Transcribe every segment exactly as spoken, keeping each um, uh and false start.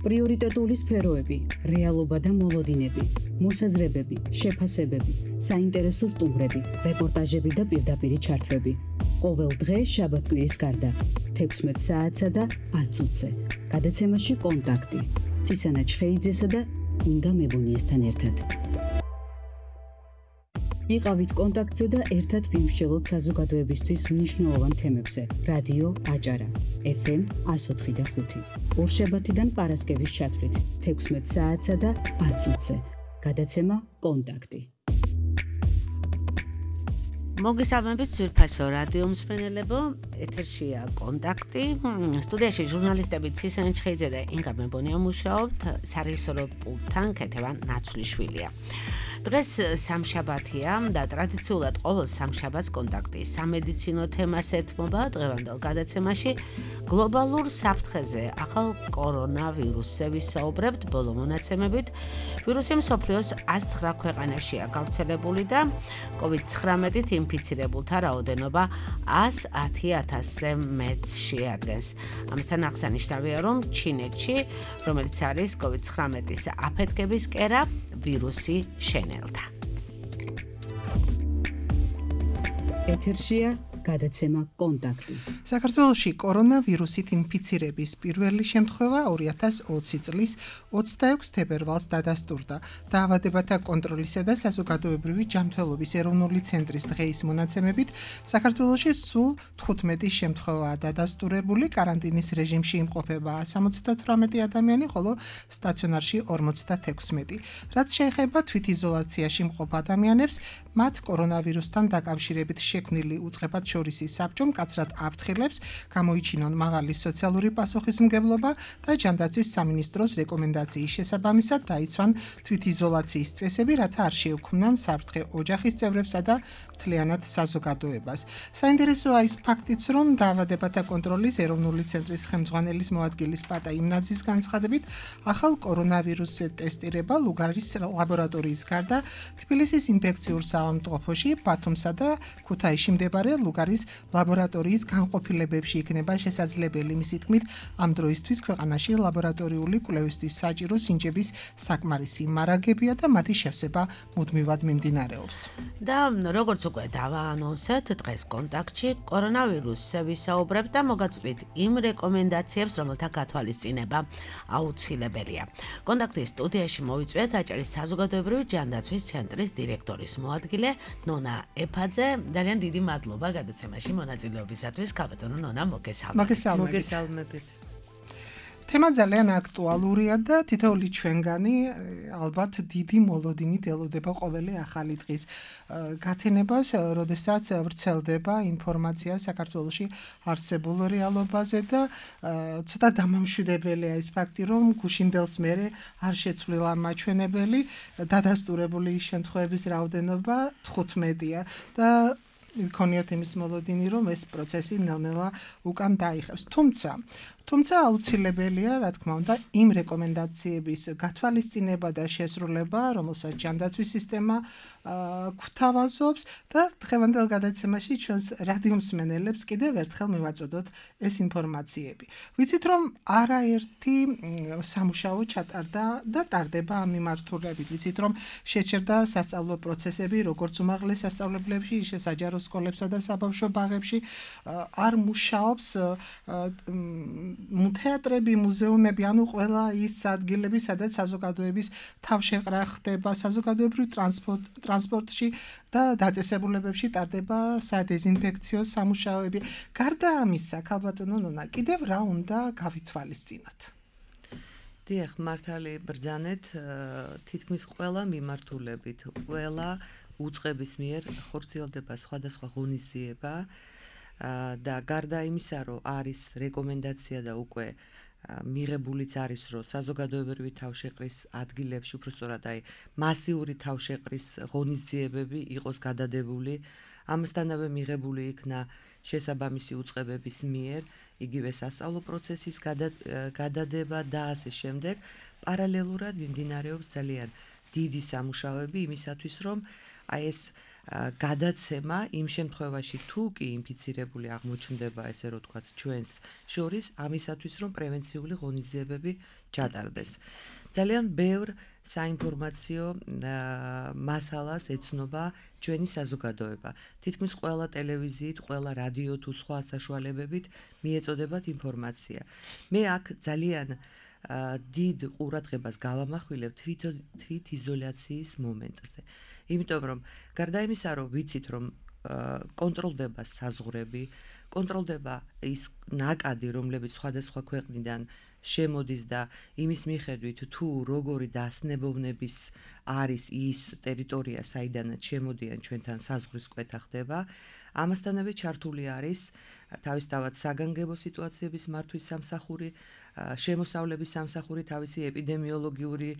პრიორიტეტული სფეროები, რეალობა და მოლოდინები, მოსაზრებები, შეფასებები, საინტერესო სტუმრები, რეპორტაჟები და პირდაპირი ჩართვები. ყოველ დღე შაბათ-კვირის გარდა, თექვსმეტ საათსა და ათ წუთზე. გადაცემაში კონტაქტი. ცისანა ჩხეიძესა და ინგა მებუნიესთან ერთად. იყავით კონტაქტზე და ერთად ვიმსჯელოთ საზოგადოებისთვის მნიშვნელოვან თემებზე. რადიო აჭარა, ეფ ემ εκατო ოთხი და ხუთი. ორშაბათიდან პარასკევის ჩათვლით, თექვსმეტ საათსა და ათ წუთზე. გადაცემა კონტაქტი. მოგესალმებით ძვირფასო რადიო მსმენელებო, ეთერშია კონტაქტი. სტუდიაში ჟურნალისტები ცისანა ჩხეიძე და ინგა მებონია მუშაობთ, სარეჟისორო პულტთან ქეთევან ნაცვლიშვილია. დღეს სამშაბათია და ტრადიციულად ყოველ სამშაბათს კონტაქტი სამედიცინო თემას ეთმობა. დღევანდელ გადაცემაში გლობალურ საფრთხეზე ახალ კორონავირუსზე ვისაუბრებთ. ბოლო მონაცემებით ვირუსი მსოფლიოს ას ცხრა ქვეყანაშია გავრცელებული და კოვიდ ცხრამეტით ინფიცირებულთა რაოდენობა ას ათი ათასზე მეტს შეადგენს. ამასთან აღსანიშნავია, რომ ჩინეთში, რომელიც არის კოვიდ ცხრამეტის აფეთქების კერა, ვირუსი შენელდა. ეთერშია გადაცემა კონტაქტი. საქართველოში კორონავირუსით ინფიცირების პირველი შემთხვევა ორი ათას ოცი წლის ოცდაექვსი თებერვალს დადასტურდა. დაავადებათა კონტროლისა და საზოგადოებრივი ჯანმრთელობის ეროვნული ცენტრის დღეის მონაცემებით საქართველოში სულ თხუთმეტი შემთხვევაა დადასტურებული. კარანტინის რეჟიმში იმყოფება სამოცდათვრამეტი ადამიანი, ხოლო სტაციონარში ორმოცდათექვსმეტი. რაც შეეხება თვითიზოლაციაში მყოფ ადამიანებს, მათ კორონავირუსთან დაკავშირებით შექმნილი უწყებად შორისი საბჭო მკაცრად აფრთხილებს, გამოიჩინონ მაღალი სოციალური პასუხისმგებლობა და ჯანდაცვის სამინისტროს რეკომენდაციის შესაბამისად დაიცვან თვითიზოლაციის წესები, რათა არ შეუქმნან საფრთხე ოჯახის წევრებსა და მთლიანად საზოგადოებას. საინტერესოა ის ფაქტიც, რომ დაავადებათა კონტროლის ეროვნული ცენტრის ხელმძღვანელის მოადგილის პატა იმნაძის განცხადებით, ახალ კორონავირუსზე ტესტირება ლუგარის ლაბორატორიის გარდა თბილისის ინფექციურ საავადმყოფოში, ბათუმსა და ქუთაისში მდებარე ლუგარის ლაბორატორიის განყოფილებებში იქნება შესაძლებელი. მისი თქმით, ამ დროისთვის ქვეყანაში ლაბორატორიული კვლევისთვის საჭირო სინჯების საკმარისი მარაგებია და მათი შევსება მუდმივად მიმდინარეობს. და როგორც უკვე დავაანონსეთ, დღეს კონტაქტში კორონავირუსზე ვისაუბრებთ და მოგაწვდით იმ რეკომენდაციებს, რომელთა გათვალისწინება აუცილებელია. კონტაქტის სტუდიაში მოვიწვიეთ აჭარის საზოგადოებრივი ჯანდაცვის ცენტრის დირექტორის მოადგილე ნონა ეფაძე. ძალიან დიდი მადლობა გადაცემაში მონაწილეობისათვის. ქალბატონო ნონა, მოგესალმებით. მოგესალმებით. თემა ძალიან აქტუალურია და თითოეული ჩვენგანი ალბათ დიდი მოლოდინით ელოდება ყოველი ახალი დღის გათენებას, როდესაც ვრცელდება ინფორმაცია საქართველოში არსებულ რეალობაზე და ცოტა დამამშვიდებელია ის ფაქტი, რომ გუშინდელს მერე არ შეცვლილა მაჩვენებელი, დადასტურებული შემთხვევების რაოდენობა თხუთმეტია და ვიქონიოთ იმის მოლოდინი, რომ ეს პროცესი ნელ-ნელა უკან დაიხევს. თუმცა თუმცა აუცილებელია, რა თქმა უნდა, იმ რეკომენდაციების გათვალისწინება და შესრულება, რომელსაც ჯანდაცვის სისტემა გვთავაზობს და დღევანდელ გადაცემაში ჩვენს რადიო მსმენელებს კიდევ ერთხელ მივაწოდოთ ეს ინფორმაციები. ვიცით, რომ არაერთი სამუშაო ჩატარდა და ტარდება ამ მიმართულებით. ვიცით, რომ შეჩერდა სასწავლო პროცესები, როგორც უმაღლეს სასწავლებლებში, ისე საჯარო სკოლებსა და საბავშვო ბაღებში. არ მუშაობს თეატრები, მუზეუმები, ანუ ყველა ის ადგილები, სადაც საზოგადოების თავშეყრა ხდება, საზოგადოებრივ ტრანსპორტში და დაწესებულებებში ტარდება სადეზინფექციო სამუშაოები. გარდა ამისა, ქალბატონო ნონა, კიდევ რა უნდა გავითვალისწინოთ? დიახ, მართალი ბრძანეთ, თითქმის ყველა მიმართულებით, ყველა უწყების მიერ ხორციელდება სხვადასხვა ღონისძიება. და გარდა იმისა, რომ არის რეკომენდაცია და უკვე მიღებულიც არის, რომ საზოგადოებრივი თავშეყრის ადგილებში, უბრალოდ აი მასიური თავშეყრის ღონისძიებები იყოს გადადებული, ამასთანავე მიღებული იქნა შესაბამისი უწყებების მიერ იგივე სასწავლო პროცესის გადადება და ასე შემდეგ. პარალელურად მიმდინარეობს ძალიან დიდი სამუშაოები იმისათვის, რომ აი ეს გადაცემა იმ შემთხვევაში თუ კი ინფიცირებული აღმოჩნდება, ესე რომ ვთქვათ, ჩვენს შორის ამისათვის რომ პრევენციული ღონისძიებები ჩატარდეს. ძალიან ბევრ საინფორმაციო მასალას ეცნობა ჩვენი საზოგადოება. თითქმის ყველა ტელევიზიით, ყველა რადიო თუ სხვა საშუალებებით მიეწოდებათ ინფორმაცია. მე აქ ძალიან დიდ ყურადღებას გავამახვილებ თვით იზოლაციის მომენტზე. იმიტომ რომ გარდა იმისა, რომ ვიცით, რომ კონტროლდება საზღვრები, კონტროლდება ის ნაკადი, რომლებიც სხვადასხვა ქვეყნიდან შემოდის და იმის მიხედვით თუ როგორი დასნებოვნების არის ის ტერიტორია, საიდანაც შემოდიან ჩვენთან საზღვრის კვეთა ხდება, ამასთანავე ჩართული არის თავისთავად საგანგებო სიტუაციების მართვის სამსახური, შემოსავლების სამსახური თავისი ეპიდემიოლოგიური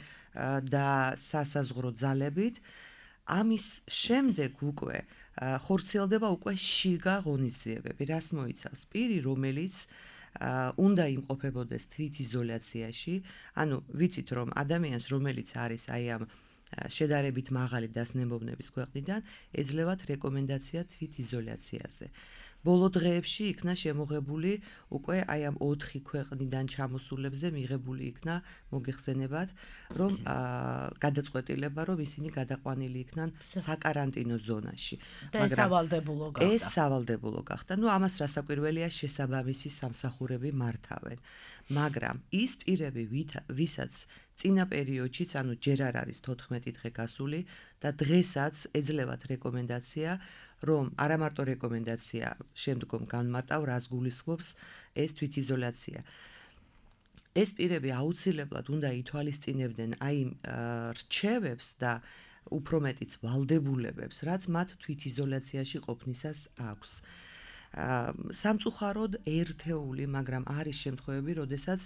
და სასაზღვრო ძალებით. ამის შემდეგ უკვე ხორციელდება უკვე შიგა ღონისძიებები, რას მოიცავს? პირი, რომელიც უნდა იმყოფებოდეს თვით იზოლაციაში, ანუ ვიცით რომ ადამიანს, რომელიც არის აი ამ შედარებით მაღალი დასნებოვნების ქვეყნიდან, ეძლევათ რეკომენდაცია თვით იზოლაციაზე. ბოლო დღეებში იქნა შემოღებული უკვე აი ამ ოთხი ქვეყნიდან ჩამოსულებზე მიღებული იქნა მოგეხსენებათ, რომ გადაწყვეტილება, რომ ისინი გადაყვანილი იქნან საკარანტინო ზონაში. და ეს სავალდებულო გახდა. ეს სავალდებულო გახდა. ნუ ამას რასაკვირველია შესაბამისი სამსახურები მართავენ. მაგრამ ის პირები, ვისაც წინა პერიოდშიც, ანუ ჯერ არ არის თოთხმეტი დღე გასული და დღესაც ეძლევათ რეკომენდაცია, რომ არა მარტო რეკომენდაცია შემდგომ განმარტავ, რას გულისხმობს ეს თვითიზოლაცია. ეს პირები აუცილებლად უნდა ითვალისწინებდნენ აი რჩევებს და უფრო მეტიც ვალდებულებებს, რაც მათ თვითიზოლაციაში ყოფნისას აქვს. სამწუხაროდ ერთეული, მაგრამ არის შემთხვევები, როდესაც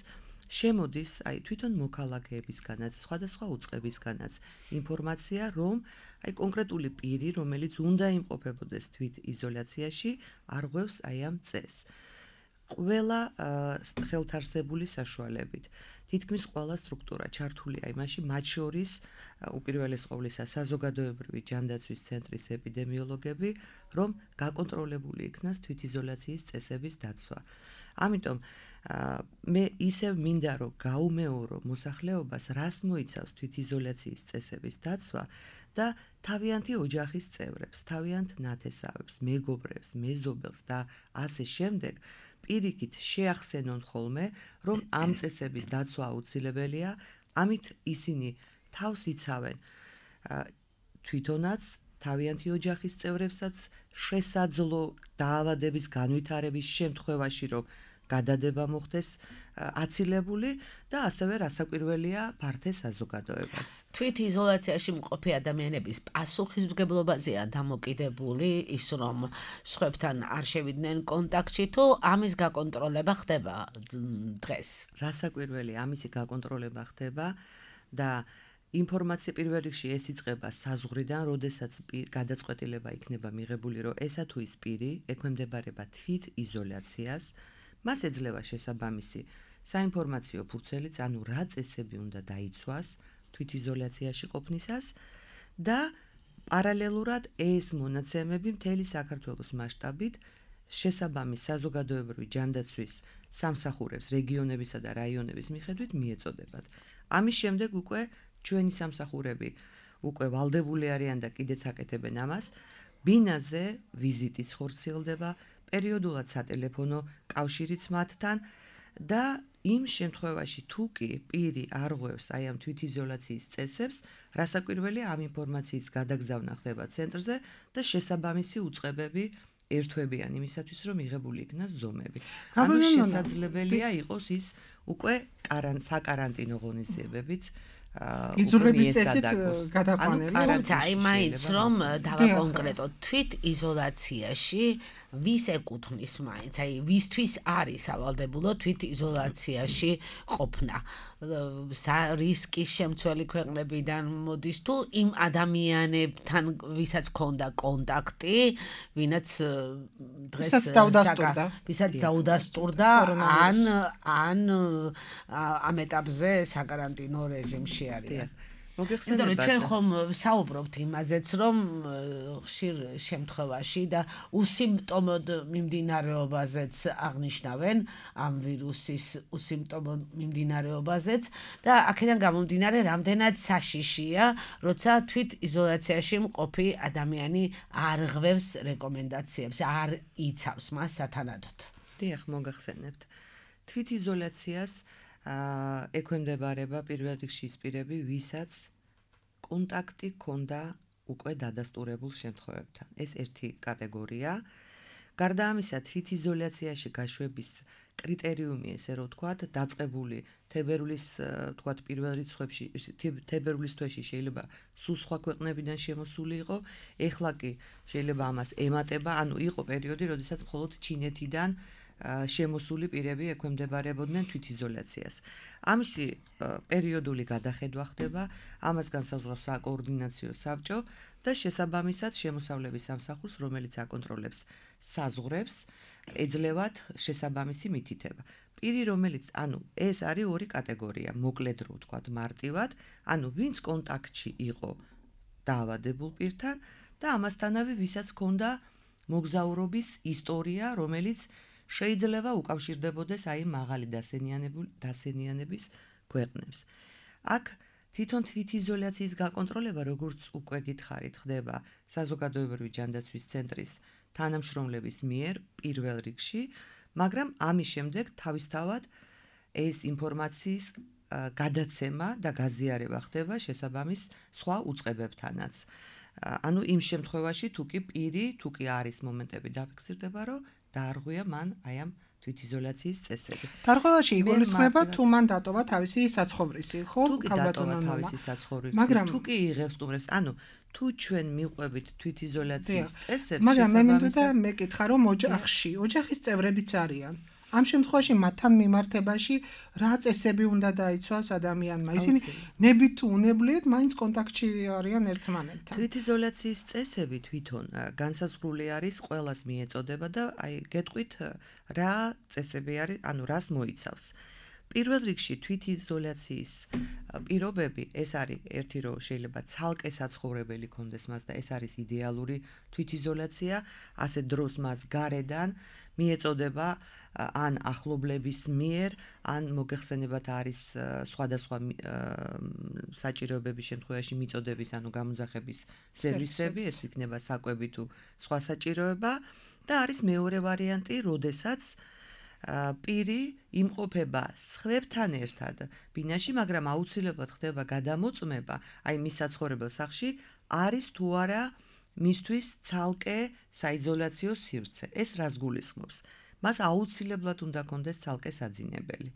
შემოდის აი თვითონ მოქალაქეებისგანაც, სხვადასხვა უწყებისგანაც ინფორმაცია, რომ აი კონკრეტული პირი, რომელიც უნდა იმყოფებოდეს თვით იზოლაციაში, არღვევს აი ამ წესს. ყველა ხელთარსებული საშუალებით. თითქმის ყველა სტრუქტურა ჩართულია იმაში, მათ შორის უპირველეს ყოვლისა საზოგადოებრივი ჯანდაცვის ცენტრის ეპიდემიოლოგები, რომ გაკონტროლებული იქნას თვითიზოლაციის წესების დაცვა. ამიტომ მე ისევ მინდა რომ გაუმეორო მოსახლეობას, რას მოიცავს თვითიზოლაციის წესების დაცვა და თავიანთი ოჯახის წევრებს, თავიანთ ნათესავებს, მეგობრებს, მეზობელს და ასე შემდეგ პირიქით შეახსენონ ხოლმე, რომ ამ წესების დაცვა აუცილებელია, ამით ისინი თავს იცავენ თვითონაც თავიანთი ოჯახის წევრებსაც შესაძლო დაავადების განვითარების შემთხვევაში, რომ გადადება მოხდეს აცილებული და ასევე რასაკვირველია ფართე საზოგადოებას. თვით იზოლაციაში მყოფი ადამიანების პასუხისმგებლობაზეა დამოკიდებული ის, რომ სხვებთან არ შევიდნენ კონტაქტში, თუ ამის გაკონტროლება ხდება დღეს. რასაკვირველია, ამისი გაკონტროლება ხდება და ინფორმაცია პირველ რიგში ეს იწყება საზღვრიდან, როდესაც გადაწყვეტილება იქნება მიღებული, რომ ესა თუ ის პირი ექვემდებარება თვით იზოლაციას, მას ეძლევა შესაბამისი საინფორმაციო ფურცელიც, ანუ რა წესები უნდა დაიცვას თვითიზოლაციაში ყოფნისას და პარალელურად ეს მონაცემები მთელი საქართველოს მასშტაბით შესაბამის საზოგადოებრივი ჯანდაცვის სამსახურებს რეგიონებისა და რაიონების მიხედვით მიეწოდებათ. ამის შემდეგ უკვე ჩვენი სამსახურები უკვე ვალდებული არიან და კიდეც აკეთებენ ამას, ბინაზე ვიზიტიც ხორციელდება, პერიოდულად სატელეფონო კავშირიც მათთან და იმ შემთხვევაში თუ კი პირი არღვევს აი ამ თვითიზოლაციის წესებს, რასაკვირველია ამ ინფორმაციის გადაგზავნა ხდება ცენტრზე და შესაბამისი უწყებები ერთვებიან იმისათვის, რომ მიღებული იქნას ზომები. ანუ შესაძლებელია იყოს ის უკვე საკარანტინო ღონისძიებებით იძულების წესით გადაყვანილი. თუმცა იმაიც რომ დავაკონკრეტოთ თვით იზოლაციაში ვის ეკუთვნის მაინც, აი ვისთვის არის სავალდებულო თვით იზოლაციაში ყოფნა. რისკის შემცველი ქვეყნებიდან მოდის თუ იმ ადამიანებთან, ვისაც ჰქონდა კონტაქტი, ვინაც დღეს ვისაც დაუდასტურდა ან ან ამ ეტაპზე საკარანტინო რეჟიმში არის. იმიტომ რომ ჩვენ ხომ საუბრობთ იმაზეც, რომ ხშირ შემთხვევაში და უსიმპტომოდ მიმდინარეობაზეც აღნიშნავენ ამ ვირუსის უსიმპტომო მიმდინარეობაზეც და აქედან გამომდინარე რამდენად საშიშია, როცა თვით იზოლაციაში მყოფი ადამიანი არ ღვევს რეკომენდაციებს, არ იცავს მას სათანადოდ. დიახ, მოგახსენებთ. თვით იზოლაციას ექვემდებარება პირველ რიგში ის პირები, ვისაც კონტაქტი ჰქონდა უკვე დადასტურებულ შემთხვევებთან. ეს ერთი კატეგორია. გარდა ამისა, თვით იზოლაციაში გაშვების კრიტერიუმი, ესე რომ ვთქვათ, დაწყებული თებერვლის, ვთქვათ, პირველ რიცხვებში, თებერვლის თვეში შეიძლება სულ სხვა ქვეყნებიდან შემოსული იყო, ეხლა კი შეიძლება ამას ემატება, ანუ იყო პერიოდი, როდესაც მხოლოდ ჩინეთიდან შემოსული პირები ექვემდებარებოდნენ თვითიზოლაციას. ამისი პერიოდული გადახედვა ხდება, ამას განსაზღვრავს საკოორდინაციო საბჭო და შესაბამისად შემოსავლების სამსახურს, რომელიც აკონტროლებს საზღვრებს, ეძლევათ შესაბამისი მითითება. პირი, რომელიც, ანუ ეს არის ორი კატეგორია, მოკლედ რო ვთქვათ, მარტივად, ანუ ვინც კონტაქტში იყო დაავადებულ პირთან და ამასთანავე ვისაც ჰქონდა მოგზაურობის ისტორია, რომელიც შეიძლება უკავშირდებოდეს აი მაღალი დასენიანების ქვეყნებს. აქ თვითონ თვითიზოლაციის გაკონტროლება, როგორც უკვე გითხარით, ხდება საზოგადოებრივი ჯანდაცვის ცენტრის თანამშრომლების მიერ პირველ რიგში, მაგრამ ამის შემდეგ თავისთავად ეს ინფორმაციის გადაცემა და გაზიარება ხდება შესაბამის სხვა უწყებებთანაც. ანუ იმ შემთხვევაში თუ კი პირი, თუ კი არის მომენტები დაფიქსირდება, რომ დაარღვია მან აი ამ თვითიზოლაციის წესები. დარღვევაში იგულისხმება თუ მან დატოვა თავისი საცხოვრისი, ხო? თუ კი დატოვა თავისი საცხოვრისი, თუ კი იღებს სტუმრებს, ანუ თუ ჩვენ მიყვებით თვითიზოლაციის წესებს, მაგრამ მე მინდოდა მეკითხა, რომ ოჯახში, ოჯახის წევრებიც არიან. ამ შემთხვევაში მათთან მიმართებაში რა წესები უნდა დაიცვას ადამიანმა? ისინი ნებით თუ უნებლიეთ, მაინც კონტაქტში არიან ერთმანეთთან. თვითიზოლაციის წესები თვითონ განსაზღვრული არის, ყველას მიეწოდება და აი გეტყვით რა წესები არის, ანუ რას მოიცავს. პირველ რიგში თვითიზოლაციის პირობები, ეს არის ერთი რო შეიძლება ცალკე საცხოვრებელი კონდეს მას და ეს არის იდეალური თვითიზოლაცია, ასე დროს მას გარედან მიეწოდება ან ახლობლების მიერ, ან მოგეხსენებათ არის სხვადასხვა საჭიროებების შემთხვევაში მიწოდების, ანუ გამოძახების სერვისები, ეს იქნება საკვები თუ სხვა საჭიროება და არის მეორე ვარიანტი, როდესაც პირი იმყოფება სხვებთან ერთად ბინაში, მაგრამ აუცილებლად ხდება გადამოწმება, აი მის საცხოვრებელ სახლში არის თუ არა მისთვის ცალკე საიზოლაციო სივრცე. ეს რას გულისხმობს? მას აუცილებლად უნდა კონდეს ცალკე საძინებელი.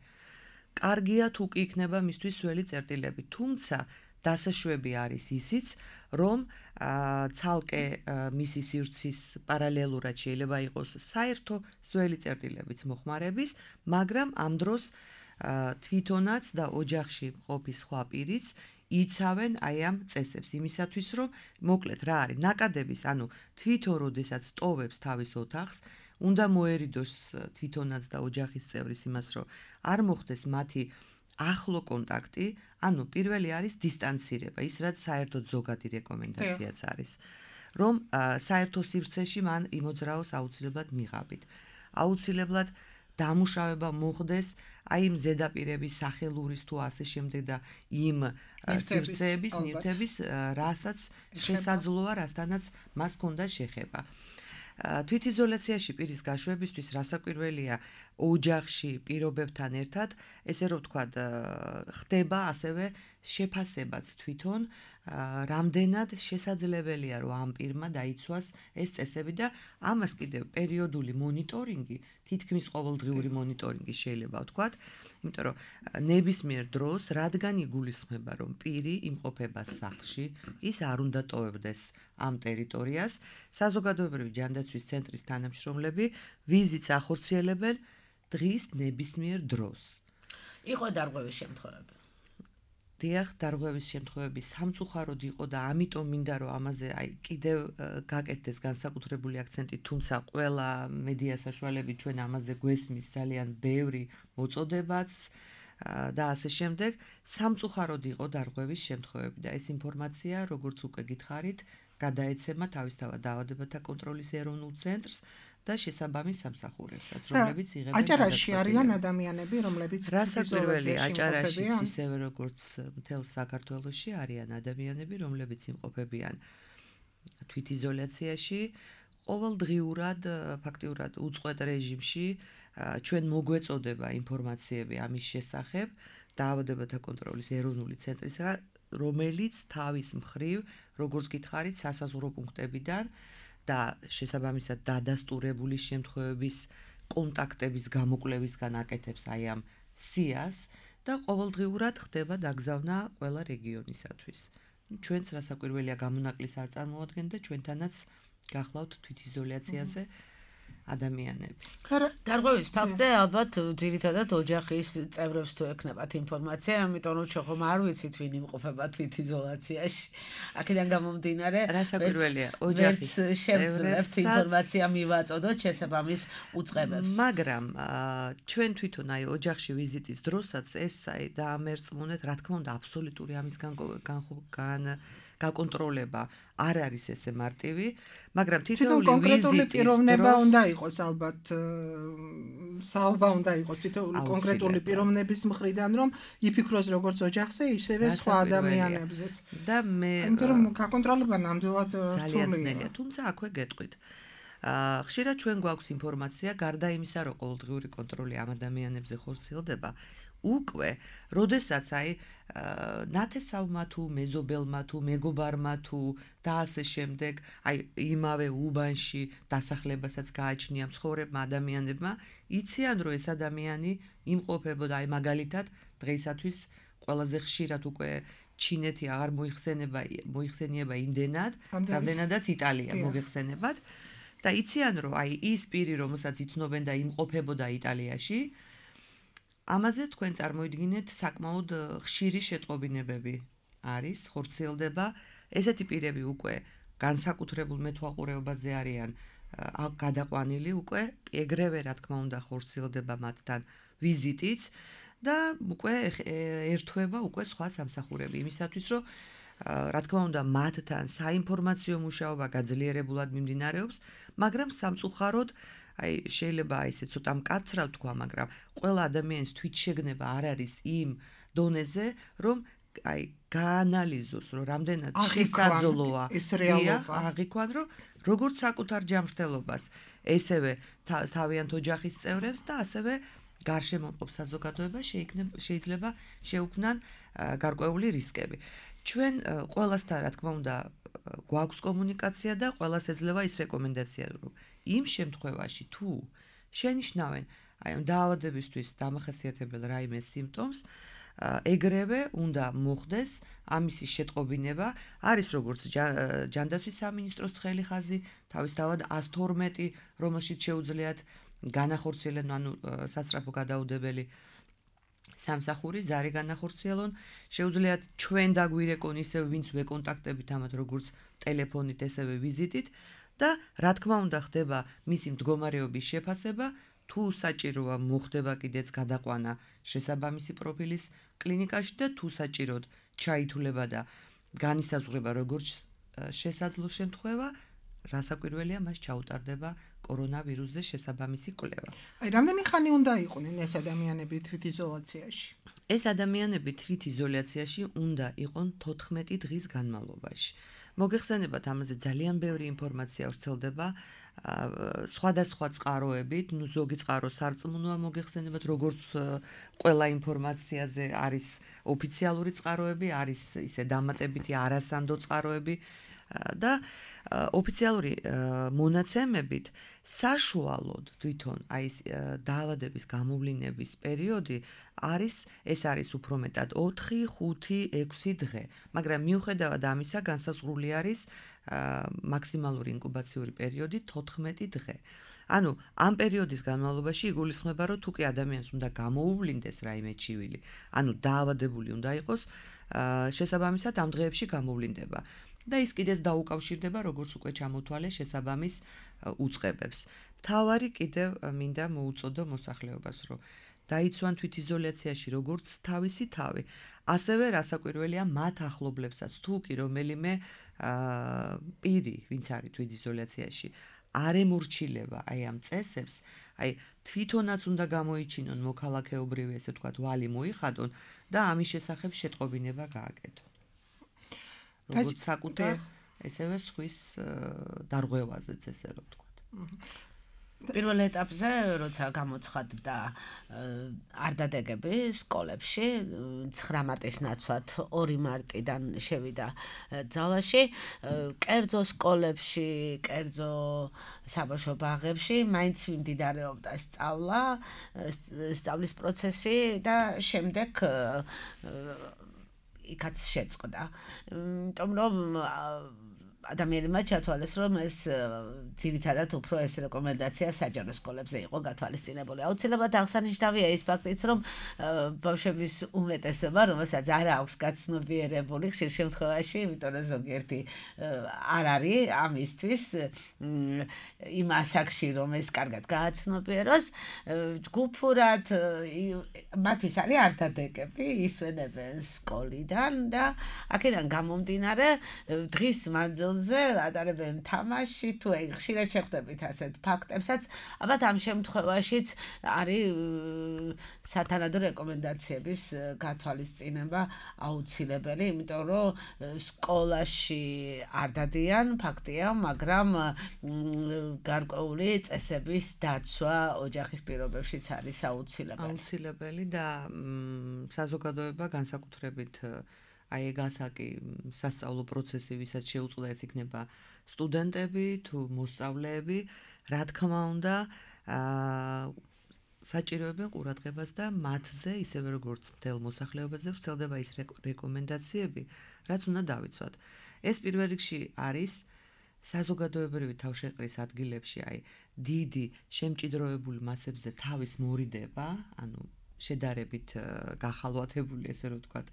კარგია თუ კი იქნება მისთვის სველი წერტილები, თუმცა დასაშვები არის ისიც, რომ ცალკე მისი სივრცის პარალელურად შეიძლება იყოს საერთო სველი წერტილებიც მოხმარების, მაგრამ ამ დროს თვითონაც და ოჯახში მყოფი სხვა პირიც იცავენ აი ამ წესებს იმისათვის, რომ მოკლედ რა არის ნაკადების, ანუ თვითონ როდესაც ტოვებს თავის ოთახს, უნდა მოერიდოს თვითონაც და ოჯახის წევრის იმას, რომ არ მოხდეს მათი ახლო კონტაქტი, ანუ პირველი არის დისტანცირება, ის რაც საერთოდ ზოგადი რეკომენდაციაც არის, რომ საერთო სივრცეში მან იმოძრაოს აუცილებლად ნიღაბით. აუცილებლად დამუშავება მოხდეს აი იმ ზედაპირების სახელურის თუ ასე შემდეგ და იმ სივრცეების, ნივთების, რასაც შესაძლოა, რასთანაც მას ჰქონდა შეხება. თვითიზოლაციაში პირის გაშვებისთვის რასაკვირველია ოჯახში პირობებთან ერთად, ესე რომ ვთქვათ, ხდება ასევე შეფასებაც თვითონ, რამდენად შესაძლებელია, რომ ამ პირმა დაიცვას ეს წესები და ამას კიდევ პერიოდული მონიტორინგი, თითქმის ყოველდღიური მონიტორინგი შეიძლება ვთქვათ, იმიტომ რომ ნებისმიერ დროს, რადგან იგულისხმება, რომ პირი იმყოფება სახლში, ის არ უნდა ტოვებდეს ამ ტერიტორიას, საზოგადოებრივი ჯანდაცვის ცენტრის თანამშრომლები ვიზიტს ახორციელებენ დღის ნებისმიერ დროს. იყო დარღვევის შემთხვევები. დიახ, დარღვევის შემთხვევები სამწუხაროდ იყო და ამიტომ მინდა რომ ამაზე აი კიდევ გაკეთდეს განსაკუთრებული აქცენტი, თუმცა ყველა მედია საშუალებით ჩვენ ამაზე გვესმის ძალიან ბევრი მოწოდებაც, და ასე შემდეგ, სამწუხაროდ იყო დარღვევის შემთხვევები და ეს ინფორმაცია, როგორც უკვე გითხარით, გადაეცემა თავისთავად დაავადებათა კონტროლის ეროვნულ ცენტრს და შესაბამის სამსახურებსაც, რომლებიც იღებენ აჭარაში არიან ადამიანები, რომლებიც რასაკვირველი აჭარაშიც ისევე როგორც მთელ საქართველოში არიან ადამიანები, რომლებიც იმყოფებიან თვითიზოლაციაში, ყოველდღიურად, ფაქტიურად უწყვეტ რეჟიმში ჩვენ მოგვეწოდება ინფორმაციები ამის შესახებ დაავადებათა კონტროლის ეროვნული ცენტრისგან, რომელიც თავის მხრივ, როგორც გითხარით, სასაზღვრო პუნქტებიდან და შესაბამისად დადასტურებული შემთხვევების კონტაქტების გამოკვლევისგან აკეთებს აი ამ სიას და ყოველდღიურად ხდება დაგზავნა ყველა რეგიონისათვის. ჩვენც რასაკვირველია გამონაკლისს არ წარმოადგენთ და ჩვენთანაც გახლავთ თვითიზოლაციაზე ადამიანები. დარღვევის ფაქტზე ალბათ ძირითადად ოჯახის წევრებს თუ ეკნებათ ინფორმაცია, ამიტომ რომ ჩვენ ხომ არ ვიცით ვინ იმყოფება თვითიზოლაციაში. აქედან გამომდინარე, რასაკვირველია, ოჯახის წევრებს ინფორმაცია მივაწოდოთ შესაბამის უწყებებს. მაგრამ ჩვენ თვითონ აი ოჯახში ვიზიტის დროსაც ეს აი დაამერწმუნეთ, რა თქმა უნდა, აბსოლუტური ამის გან გაკონტროლება არ არის ესე მარტივი, მაგრამ თითოეული კონკრეტული პიროვნება უნდა იყოს ალბათ საუბარ უნდა იყოს თითოეული კონკრეტული პიროვნების მხრიდან, რომ იფიქროს როგორც ოჯახზე, ისევე სხვა ადამიანებზეც. და მე იმიტომ რომ გაკონტროლება ნამდვილად რთულია. თუმცა აქვე გეტყვით. ხშირად ჩვენ გვაქვს ინფორმაცია, გარდა იმისა, რომ ყოველდღიური კონტროლი ამ ადამიანებზე ხორციელდება, უკვე, როდესაც აი ნათესავმა თუ მეზობელმა თუ მეგობარმა თუ და ასე შემდეგ, აი იმავე უბანში დასახლებასაც გააჩნია მცხოვრებმა ადამიანებმა, იციან რომ ეს ადამიანი იმყოფებოდა აი მაგალითად დღეისათვის ყველაზე ხშირად უკვე ჩინეთი აღარ მოიხსენება მოიხსენიება იმდენად, რამდენადაც იტალია მოიხსენებათ და იციან რომ აი ის პირი რომელსაც იცნობენ და იმყოფებოდა იტალიაში ამაზე თქვენ წარმოიდგინეთ საკმაოდ ხშირი შეტყობინებები არის, ხორციელდება. ესეთი პირები უკვე განსაკუთრებულ მეთვალყურეობაზე არიან გადაყვანილი უკვე, ეგრევე რა თქმა უნდა ხორციელდება მათთან ვიზიტიც და უკვე ერთვება უკვე სხვა სამსახურები იმისათვის, რომ რა თქმა უნდა მათთან საინფორმაციო მუშაობა გაძლიერებულად მიმდინარეობს, მაგრამ სამწუხაროდ აი შეიძლება ისე ცოტა მკაცრავ თქვა, მაგრამ ყველა ადამიანის თვითშეგნება არ არის იმ დონეზე, რომ აი გაანალიზოს, რომ რამდენად შესაძლოა ეს რეალობა, აღიქვან, რომ როგორც საკუთარ ჯანმრთელობას, ესევე თავიანთ ოჯახის წევრებს და ასევე გარშემო მყოფ საზოგადოებას შეიძლება შეუქმნან გარკვეული რისკები. ჩვენ ყველასთან რა თქმა უნდა გვაქვს კომუნიკაცია და ყველას ეძლევა ის რეკომენდაცია, რომ იმ შემთხვევაში თუ შენიშნავენ აი ამ დაავადებისთვის დამახასიათებელ რაიმე სიმპტომს, ეგრევე უნდა მოხდეს ამისი შეტყობინება. არის როგორც ჯანდაცვის სამინისტროს ცხელი ხაზი, თავისთავად ას თორმეტი, რომელშიც შეუძლიათ განახორციელონ, ანუ სასწრაფო გადაუდებელი სამსახური ზარი განახორციელონ, შეუძლიათ ჩვენ დაგვირეკონ ისევ ვინც ვეკონტაქტებით ამათ როგორც ტელეფონით, ესევე ვიზიტით და რა თქმა უნდა ხდება მისი მდგომარეობის შეფასება, თუ საჭიროა მოხდება კიდეც გადაყვანა შესაბამისი პროფილის კლინიკაში და თუ საჭიროდ ჩაითვლება და განისაზღვრება როგორც შესაძლო შემთხვევა, რასაკვირველია მას ჩაუტარდება კორონავირუსზე შესაბამისი კვლევა. აი, რამდენი ხანი უნდა იყვნენ ეს ადამიანები თვითიზოლაციაში? ეს ადამიანები თვითიზოლაციაში უნდა იყვნენ თოთხმეტი დღის განმავლობაში. მოგეხსენებათ, ამაზე ძალიან ბევრი ინფორმაცია ვრცელდება სხვადასხვა წყაროებით, ნუ ზოგი წყარო სარწმუნოა მოგეხსენებათ, როგორც ყველა ინფორმაციაზე არის ოფიციალური წყაროები, არის ისე დამატებითი არასანდო წყაროები და ოფიციალური მონაცემებით საშუალოდ თვითონ აი ეს დაავადების გამოვლინების პერიოდი არის ეს არის უფრო მეტად ოთხი, ხუთი, ექვსი დღე, მაგრამ მიუხედავად ამისა განსაზღვრული არის მაქსიმალური ინკუბაციური პერიოდი თოთხმეტი დღე. ანუ ამ პერიოდის განმავლობაში იგულისხმება, რომ თუ კი ადამიანს უნდა გამოუვლინდეს რაიმე ჩივილი, ანუ დაავადებული უნდა იყოს, შესაბამისად ამ დღეებში გამოვლინდება. და ის კიდეც დაუკავშირდება, როგორც უკვე ჩამოთვალე შესაბამის უწყებებს. თავარი კიდევ მინდა მოუწოდო მოსახლეობას, რომ დაიცვან თვითიზოლაციაში როგორც თავისი თავი, ასევე რასაკვირველია მათ ახლობლებსაც თუ კი რომელიმე პირი, ვინც არის თვითიზოლაციაში, არ ემორჩილება აი ამ წესებს, აი თვითონაც უნდა გამოიჩინონ მოქალაქეობრივი, ესე ვთქვათ, ვალი მოიხადონ და ამის შესახებ შეტყობინება გააკეთონ. როგორც საკუთარ, ესევე სხვის დარღვევაზეც, ესე რომ ვთქვათ. პირველ ეტაპზე, როცა გამოცხადდა არ დადეგები სკოლებში, ცხრა მარტის ნაცვლად ორი მარტიდან შევიდა ძალაში, კერძო სკოლებში, კერძო საბავშვო ბაღებში მაინც მიმდინარეობდა სწავლა, სწავლის პროცესი და შემდეგ იქაც შეწყდა. იმიტომ რომ ადამიანებმა ჩათვალეს, რომ ეს ძირითადად უფრო ეს რეკომენდაცია საჯარო სკოლებზე იყო გათვალისწინებული. აუცილებლად აღსანიშნავია ის ფაქტიც, რომ ბავშვების უმეტესობა, რომელსაც არ აქვს გაცნობიერებული ხშირ შემთხვევაში, იმიტომ რომ ზოგიერთი არ არის ამისთვის იმ ასაკში, რომ ეს კარგად გააცნობიეროს, ჯგუფურად მათთვის არის არ დადეგები, ისვენებენ სკოლიდან და აქედან გამომდინარე დღის მანძილზე ატარებენ თამაში თუ აი ხშირად შეხვდებით ასეთ ფაქტებსაც, ალბათ ამ შემთხვევაშიც არის სათანადო რეკომენდაციების გათვალისწინება აუცილებელი, იმიტომ რომ სკოლაში არ დადიან, ფაქტია, მაგრამ გარკვეული წესების დაცვა ოჯახის პირობებშიც არის აუცილებელი. აუცილებელი და საზოგადოება განსაკუთრებით აი ეგ ასაკი სასწავლო პროცესი, ვისაც შეუწყდა, ეს იქნება სტუდენტები თუ მოსწავლეები, რა თქმა უნდა, საჭიროებენ ყურადღებას და მათზე, ისევე როგორც მთელ მოსახლეობაზე, ვრცელდება ის რეკომენდაციები, რაც უნდა დავიცვათ. ეს პირველ რიგში არის საზოგადოებრივი თავშეყრის ადგილებში, აი დიდი შემჭიდროებული მასებზე თავის მორიდება, ანუ შედარებით გახალვათებული, ესე რომ ვთქვათ,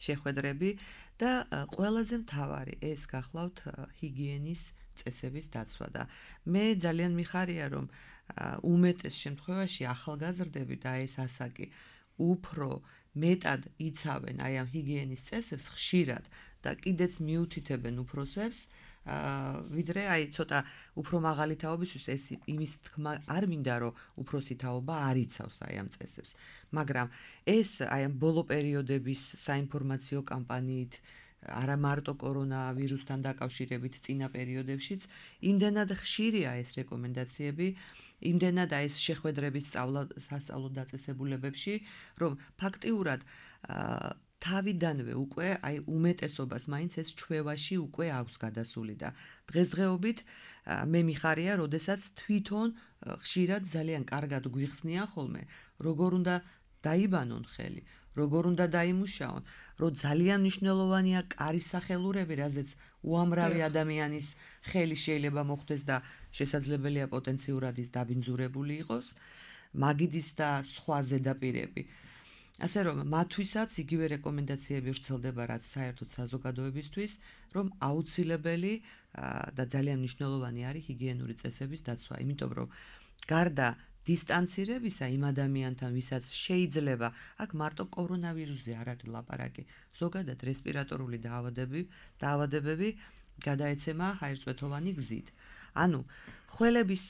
შეხვედრები და ყველაზე მთავარი ეს გახლავთ ჰიგიენის წესების დაცვა და მე ძალიან მიხარია, რომ უმეტეს შემთხვევაში ახალგაზრდები და ეს ასაკი უფრო მეტად იცავენ აი ამ ჰიგიენის წესებს ხშირად და კიდეც მიუთითებენ უფროსებს, ვიდრე აი ცოტა უფრო მაღალი თაობისთვის ეს იმის თქმა არ მინდა, რომ უფროსი თაობა არ იცავს აი ამ წესებს, მაგრამ ეს აი ამ ბოლო პერიოდების საინფორმაციო კამპანიით, არა მარტო კორონავირუსთან დაკავშირებით წინა პერიოდებშიც, იმდენად ხშირია ეს რეკომენდაციები, იმდენად აი ეს შეხვედრების სასწავლო დაწესებულებებში, რომ ფაქტიურად თავიდანვე უკვე აი უმეტესობას მაინც ეს ჩვევაში უკვე აქვს გადასული და დღესდღეობით მე მიხარია, როდესაც თვითონ ხშირად ძალიან კარგად გვიხსნიან ხოლმე, როგორ უნდა დაიბანონ ხელი, როგორ უნდა დაიმუშაონ, რომ ძალიან მნიშვნელოვანია კარის სახელურები, რაზეც უამრავი ადამიანის ხელი შეიძლება მოხვდეს და შესაძლებელია პოტენციურად ის დაბინძურებული იყოს, მაგიდის და სხვა ზედაპირები. ასე რომ მათთვისაც იგივე რეკომენდაციები ვრცელდება, რაც საერთოდ საზოგადოებისთვის, რომ აუცილებელი და ძალიან მნიშვნელოვანი არის ჰიგიენური წესების დაცვა, იმიტომ რომ გარდა დისტანცირებისა იმ ადამიანთან, ვისაც შეიძლება, აქ მარტო კორონავირუსზე არ არის ლაპარაკი, ზოგადად რესპირატორული დაავადები, დაავადებები გადაეცემა ჰაერწვეთოვანი გზით. ანუ ხველების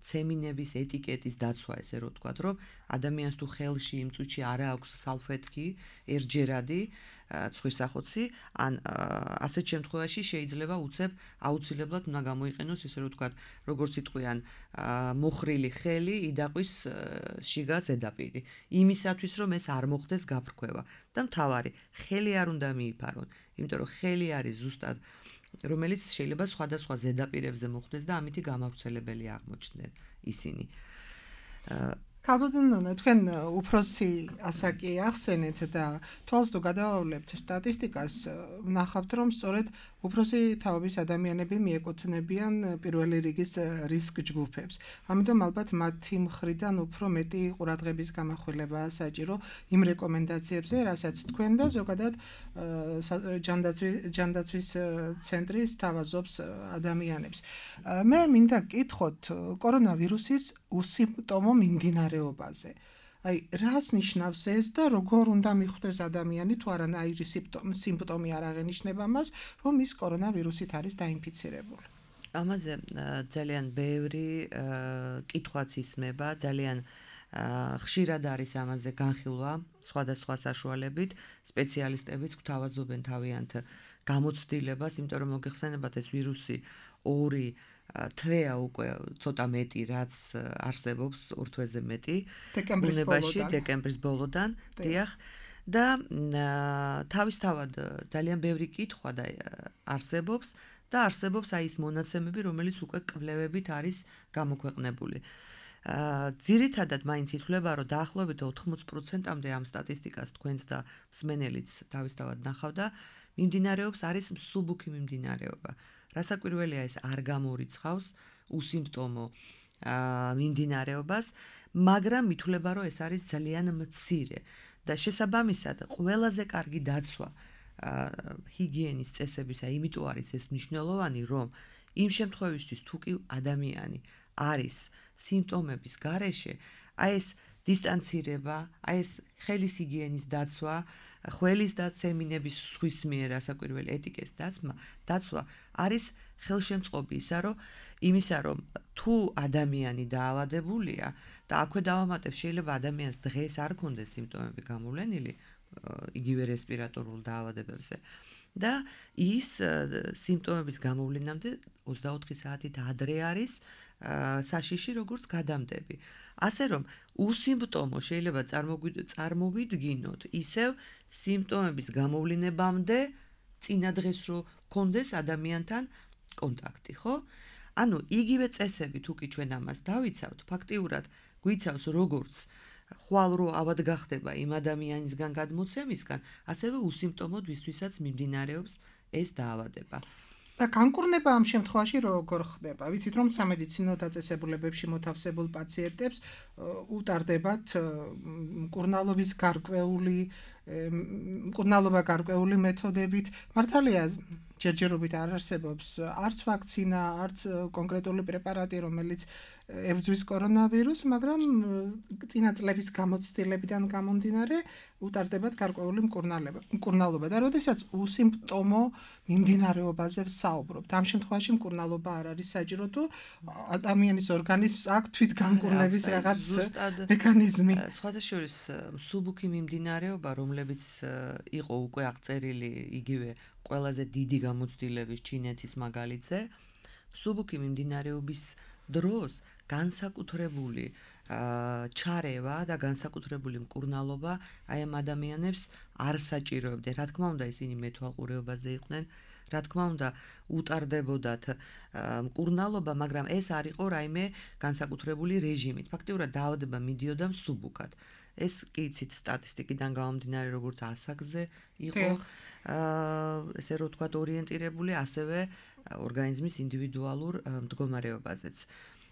ცემინების ეტიკეტის დაცვა, ესე რომ ვთქვათ, რომ ადამიანს თუ ხელში იმ წუთში არ აქვს სალფეტკი, ერჯერადი, ცხვირსახოცი, ან ასეთ შემთხვევაში შეიძლება უცებ აუცილებლად უნდა გამოიყენოს, ესე რომ ვთქვათ, როგორც იტყვიან, მოხრილი ხელი იდაყვის შიგა ზედაპირი. იმისათვის, რომ ეს არ მოხდეს გაფრქვევა და მთავარი, ხელი არ უნდა მიიფარონ, იმიტომ რომ ხელი არის ზუსტად რომელიც შეიძლება სხვადასხვა ზედაპირებზე მოხდეს და ამითი გამავრცელებელი აღმოჩნდნენ ისინი. ქალბატონო, თქვენ უფროსი ასაკი ახსენეთ და თვალს თუ გადავავლებთ სტატისტიკას, ვნახავთ, რომ სწორედ უფროსი თაობის ადამიანები მიეკუთვნებიან პირველი რიგის რისკ ჯგუფებს. ამიტომ ალბათ მათი მხრიდან უფრო მეტი ყურადღების გამახვილებაა საჭირო იმ რეკომენდაციებზე, რასაც თქვენ და ზოგადად ჯანდაცვის ცენტრი სთავაზობს ადამიანებს. მე მინდა გკითხოთ კორონავირუსის უსიმპტომო მიმდინარეობაზე. აი რას ნიშნავს ეს და როგორ უნდა მიხვდეს ადამიანი თუ არანაირი სიმპტომი არ აღენიშნება მას, რომ ის კორონავირუსით არის დაინფიცირებული. ამაზე ძალიან ბევრი კითხვაც ისმება, ძალიან ხშირად არის ამაზე განხილვა სხვადასხვა საშუალებით, სპეციალისტებიც გვთავაზობენ თავიანთ გამოცდილებას, იმიტომ რომ მოგეხსენებათ ეს ვირუსი ორი თვეა უკვე ცოტა მეტი, რაც არსებობს ორ თვეზე მეტი ბუნებაში დეკემბრის ბოლოდან, დიახ, და თავისთავად ძალიან ბევრი კითხვა და არსებობს და არსებობს აი ეს მონაცემები, რომელიც უკვე კვლევებით არის გამოქვეყნებული. ძირითადად მაინც ითვლება, რომ დაახლოებით ოთხმოცი პროცენტამდე ამ სტატისტიკას თქვენც და მსმენელიც თავისთავად ნახავდა, მიმდინარეობს არის მსუბუქი მიმდინარეობა. რასაკვირველია, ეს არ გამორიცხავს უსიმპტომო მიმდინარეობას, მაგრამ ითვლება, რომ ეს არის ძალიან მცირე და შესაბამისად ყველაზე კარგი დაცვა ჰიგიენის წესებისა, იმიტომ არის ეს მნიშვნელოვანი, რომ იმ შემთხვევისთვის თუ კი ადამიანი არის სიმპტომების გარეშე, აი ეს დისტანცირება, აი ეს ხელის ჰიგიენის დაცვა, ხველის დაცემინების სხვის მიერ რასაკვირველი ეტიკეტის დაცვა, დაცვა არის ხელშემწყობი ისა, რომ იმისა, რომ თუ ადამიანი დაავადებულია და აქვე დავამატებ, შეიძლება ადამიანს დღეს არ ქონდეს სიმპტომები გამოვლენილი, იგივე რესპირატორულ დაავადებებზე და ის სიმპტომების გამოვლენამდე ოცდაოთხი საათით ადრე არის საშიში როგორც გადამდები. ასე რომ უსიმპტომო შეიძლება წარმოვიდგინოთ ისევ სიმპტომების გამოვლენებამდე წინა დღეს რო კონდეს ადამიანთან კონტაქტი, ხო? ანუ იგივე წესები თუ კი ჩვენ ამას დავიცავთ, ფაქტიურად გვიცავს როგორც ხვალ რო ავად გახდება იმ ადამიანისგან გადმოცემისგან, ასევე უსიმპტომო ვისთვისაც მიმდინარეობს ეს დაავადება. და განკურნება ამ შემთხვევაში როგორ ხდება? ვიცით რომ სამედიცინო დაწესებულებებში მოთავსებულ პაციენტებს უტარდებათ მკურნალობის გარკვეული მკურნალობა გარკვეული მეთოდებით. მართალია ჯერჯერობით არ არსებობს არც ვაქცინა, არც კონკრეტული პრეპარატი, რომელიც ებრძვის კორონავირუსს, მაგრამ წინა წლების გამოცდილებიდან გამომდინარე უტარდებათ გარკვეული მკურნალობა და როდესაც უსიმპტომო მიმდინარეობაზე ვსაუბრობთ, ამ შემთხვევაში მკურნალობა არ არის საჭირო, თუ ადამიანის ორგანიზმს აქვს თვითგამკურნების რაღაც მექანიზმი. სხვადასხვა მსუბუქი მიმდინარეობა, რომლებიც იყო უკვე აღწერილი იგივე ყველაზე დიდი გამოცდილების ჩინეთის მაგალითზე, მსუბუქი მიმდინარეობის დროს განსაკუთრებული ჩარევა და განსაკუთრებული მკურნალობა აი ამ ადამიანებს არ საჭიროებდა. რა თქმა უნდა, ისინი მეთვალყურეობაზე იყვნენ, რა თქმა უნდა, უტარდებოდათ მკურნალობა, მაგრამ ეს არ იყო რაიმე განსაკუთრებული რეჟიმით. ფაქტიურად დაავადება მიდიოდა მსუბუქად. ეს კი იცით სტატისტიკიდან გამომდინარე, როგორც ასაკზე იყო, ესე რომ ვთქვათ, ორიენტირებული, ასევე ორგანიზმის ინდივიდუალურ მდგომარეობაზეც.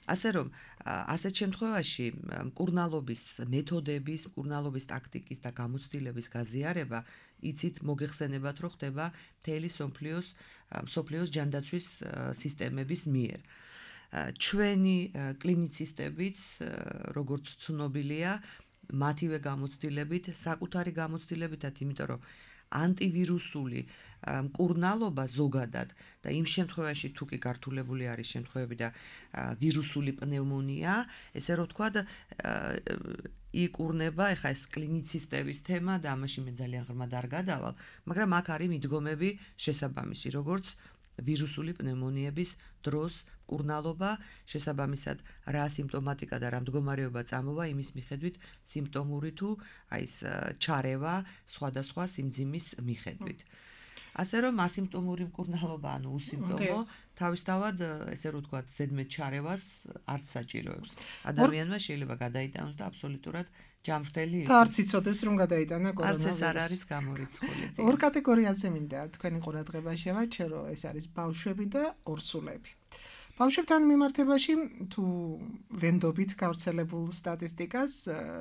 ასე რომ, ასეთ შემთხვევაში მკურნალობის მეთოდების, მკურნალობის ტაქტიკის და გამოცდილების გაზიარება, იცით, მოგეხსენებათ, რომ ხდება მთელი სოფლიოს სოფლიოს ჯანდაცვის სისტემების მიერ. ჩვენი კლინიცისტებიც, როგორც ცნობილია, მათივე გამოცდილებით, საკუთარი გამოცდილებითაც, იმიტომ რომ ანტივირუსული მკურნალობა ზოგადად და იმ შემთხვევაში თუ კი გართულებული არის შემთხვევები და ვირუსული პნევმონია, ესე რომ ვთქვათ, იკურნება, ეხა ეს კლინიცისტების თემა და ამაში მე ძალიან ღრმად არ გადავალ, მაგრამ აქ არის მიდგომები შესაბამისი, როგორც ვირუსული პნევმონიების დროს მკურნალობა, შესაბამისად რა სიმპტომატიკა და რა მდგომარეობა წამოვა, იმის მიხედვით სიმპტომური თუ აი ეს ჩარევა სხვადასხვა სიმძიმის მიხედვით. ასე რომ ასიმპტომური მკურნალობა, ანუ უსიმპტომო, თავისთავად, ესე რომ ვთქვათ, ზედმეტ ჩარევას არც საჭიროებს. ადამიანმა შეიძლება გადაიტანოს და აბსოლუტურად ჯანმრთელი იყოს. და არც იცოდეს რომ გადაიტანა კორონავირუსი. არც ეს არ არის გამორიცხული. ორ კატეგორიაზე მინდა თქვენი ყურადღება შევაჩერო, ეს არის ბავშვები და ორსულები. ბავშვებთან მიმართებაში თუ ვენდობით გავრცელებულ სტატისტიკას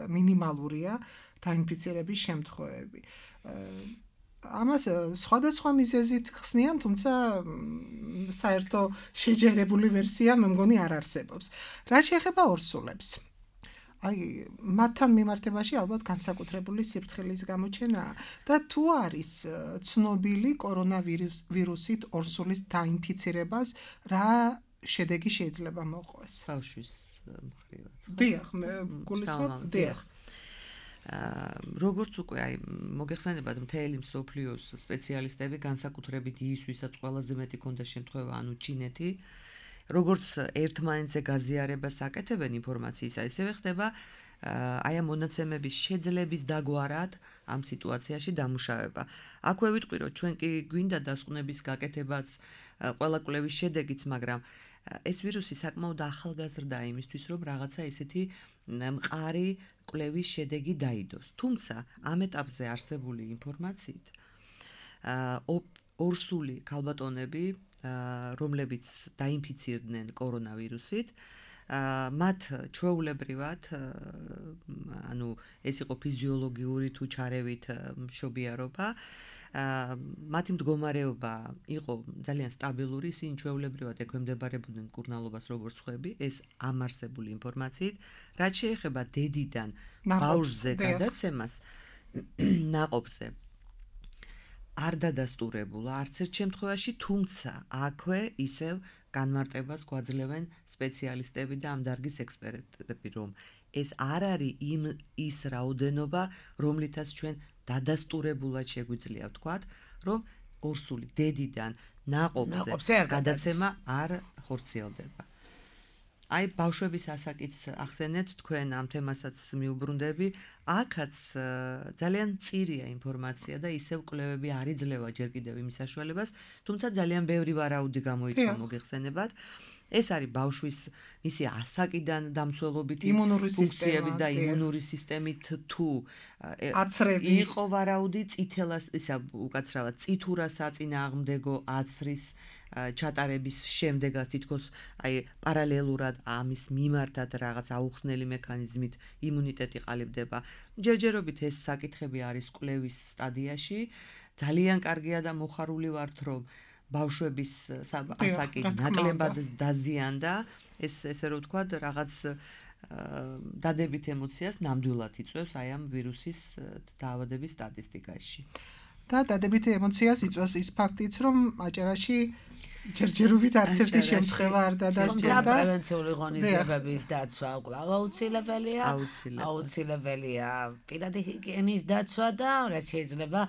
მინიმალურია დაინფიცირების შემთხვევები. ამას სხვადასხვა მიზეზით ხსნიან, თუმცა საერთო შეჯერებული ვერსია მე მგონი არ არსებობს. რაც შეეხება ორსულებს. აი მათთან მიმართებაში ალბათ განსაკუთრებული სიფრთხილის გამოჩენაა და თუ არის ცნობილი კორონავირუსით ორსულის დაინფიცირებას, რა შედეგი შეიძლება მოყვეს? ბავშვის მხრივაც. დიახ, მე გულისხმობ, დიახ. როგორც უკვე აი მოგეხსენებათ მთელი მსოფლიოს სპეციალისტები განსაკუთრებით ის, ვისაც ყველაზე მეტი ქონდა შემთხვევა, ანუ ჩინეთი, როგორც ერთმანეთზე გაზიარებას აკეთებენ ინფორმაციისა, ისევე ხდება აი ამ მონაცემების შეძლების დაგვარად ამ სიტუაციაში დამუშავება. აქვე ვიტყვი, რომ ჩვენ კი გვინდა დასკვნების გაკეთებაც, ყველა კვლევის შედეგიც, მაგრამ ეს ვირუსი საკმაოდ ახალგაზრდა იმისთვის, რომ რაღაცა ესეთი მყარი კვლევის შედეგი დაიდოს. თუმცა ამ ეტაპზე არსებული ინფორმაციით ორსული ქალბატონები, რომლებიც დაინფიცირდნენ კორონავირუსით, მათ ჩვეულებრივად, ანუ ეს იყო ფიზიოლოგიური თუ ჩარევით მშობიარობა, მათი მდგომარეობა იყო ძალიან სტაბილური, ისინი ჩვეულებრივად ექვემდებარებოდნენ მკურნალობას როგორც ხვები, ეს ამ არსებული ინფორმაციით, რაც შეეხება დედიდან ბავშვზე გადაცემას ნაყოფზე არ დადასტურებულა არც ერთ შემთხვევაში, თუმცა აქვე ისევ განმარტებას გვაძლევენ სპეციალისტები და ამ დარგის ექსპერტები, რომ ეს არ არის იმ ის რაოდენობა, რომლითაც ჩვენ დადასტურებულად შეგვიძლია ვთქვათ, რომ ორსული დედიდან ნაყოფზე გადაცემა არ ხორციელდება. აი ბავშვების ასაკიც ახსენეთ, თქვენ ამ თემასაც მიუბრუნდები, აქაც ძალიან მწირია ინფორმაცია და ისევ კვლევები არ იძლევა ჯერ კიდევ იმის საშუალებას, თუმცა ძალიან ბევრი ვარაუდი გამოიწვა მოგეხსენებათ. ეს არის ბავშვის მისი ასაკიდან დამცველობითი ფუნქციების და იმუნური სისტემით თუ აცრები იყო ვარაუდი წითელას, ისა უკაცრავად წითურა საწინააღმდეგო აცრის ჩატარების შემდეგაც თითქოს აი პარალელურად ამის მიმართად რაღაც აუხსნელი მექანიზმით იმუნიტეტი ყალიბდება. ჯერჯერობით ეს საკითხები არის კვლევის სტადიაში. ძალიან კარგია და მოხარული ვართ, რომ ბავშვების ასაკი ნაკლებად დაზიანდა, ეს ესე რომ ვთქვათ, რაღაც დადებით ემოციას ნამდვილად იწვევს აი ამ ვირუსის დაავადების სტატისტიკაში. და დადებით ემოციას იწვევს ის ფაქტიც, რომ აჭარაში ჯერჯერობით არც ერთი შემთხვევა არ დადასტურდა. თუმცა პრევენციული ღონისძიებების დაცვა კვლავ აუცილებელია. აუცილებელია პირადი ჰიგიენის დაცვა და რაც შეიძლება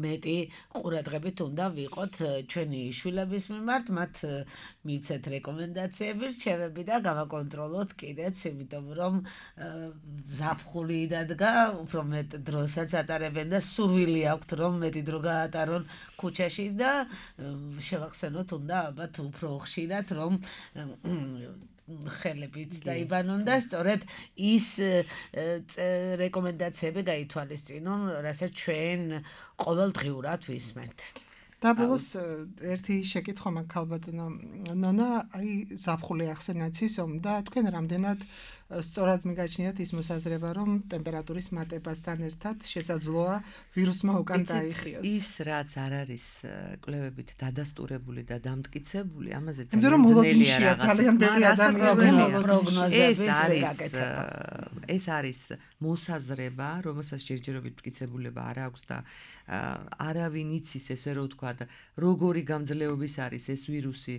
მეტი ყურადღებით უნდა ვიყოთ ჩვენი შვილების მიმართ, მათ მივცეთ რეკომენდაციები, რჩევები და გავაკონტროლოთ კიდეც, იმიტომ რომ ზაფხული დადგა, უფრო მეტ დროსაც ატარებენ და სურვილი აქვთ, რომ მეტი დრო გაატარონ ქუჩაში და შევახსენოთ უნდა ალბათ უფრო ხშირად, რომ ხელებით დაიბანონ და სწორედ ის რეკომენდაციები გაითვალისწინონ, რასაც ჩვენ ყოველდღიურად ვისმენთ. და ბოლოს ერთი შეკითხვა მაქვს ქალბატონო ნონა, აი ზაფხული ახსენაც ისომ და თქვენ რამდენად სწორად მიგაჩნიათ ის მოსაზრება, რომ ტემპერატურის მატებასთან ერთად შესაძლოა ვირუსმა უკან დაიხიოს. ის რაც არ არის კვლევებით დადასტურებული და დამტკიცებული, ამაზე ძნელია ძალიან ბევრი ადამიანი პროგნოზების გაკეთება. ეს არის მოსაზრება, რომელსაც ჯერჯერობით მტკიცებულება არ აქვს და არავინ იცის, ესე რომ ვთქვათ, როგორი გამძლეობის არის ეს ვირუსი,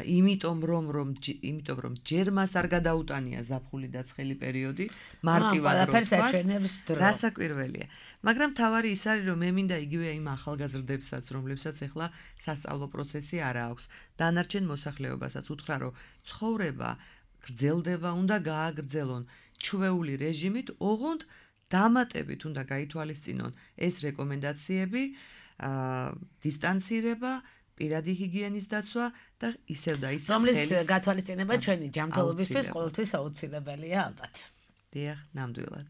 იმიტომ რომ რომ იმიტომ რომ ჯერ მას არ გადაუტანია ზაფხული და ცხელი პერიოდი, მარტივად რომ ვთქვათ, რასაკვირველია. მაგრამ თავარი ის არის, რომ მე მინდა იგივე იმ ახალგაზრდებსაც, რომლებსაც ახლა სასწავლო პროცესი არ აქვს, დანარჩენ მოსახლეობასაც უთხრა, რომ ცხოვრება გრძელდება, უნდა გააგრძელონ ჩვეული რეჟიმით, ოღონდ დამატებით უნდა გაითვალისწინონ ეს რეკომენდაციები, დისტანცირება, პირადი ჰიგიენის დაცვა და ისევ და ისევ რომლის გათვალისწინება ჩვენი ჯანმრთელობისთვის ყოველთვის აუცილებელია ალბათ. დიახ, ნამდვილად.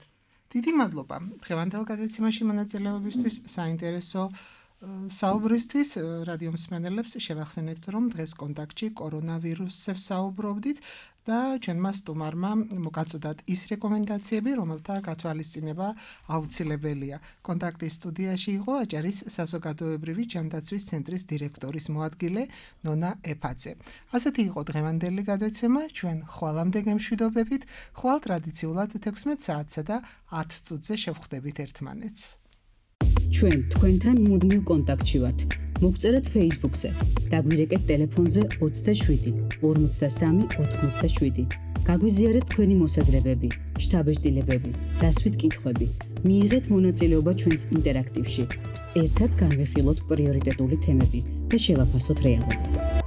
დიდი მადლობა დღევანდელ გადაცემაში მონაწილეობისთვის, საინტერესო საუბრისთვის რადიო მსმენელებს შევახსენებთ, რომ დღეს კონტაქტში კორონავირუსზე ვსაუბრობდით და ჩვენმა სტუმარმა მოგაწოდათ ის რეკომენდაციები, რომელთა გათვალისწინება აუცილებელია. კონტაქტის სტუდიაში იყო აჭარის საზოგადოებრივი ჯანდაცვის ცენტრის დირექტორის მოადგილე ნონა ეფაძე. ასეთი იყო დღევანდელი გადაცემა, ჩვენ ხვალამდე გემშვიდობებით, ხვალ ტრადიციულად თექვსმეტ საათსა და ათ წუთზე შევხვდებით ერთმანეთს. ჩვენ თქვენთან მუდმივ კონტაქტში ვართ. მოგწერეთ Facebook-ზე, დაგვირეკეთ ტელეფონზე ოცდაშვიდი ორმოცდასამი ოთხმოცდაშვიდი. გაგვიზიარეთ თქვენი მოსაზრებები, შთაბეჭდილებები, დასვით კითხვები. მიიღეთ მონაწილეობა ჩვენს ინტერაქტივში. ერთად განვიხილოთ პრიორიტეტული თემები და შევაფასოთ რეალობა.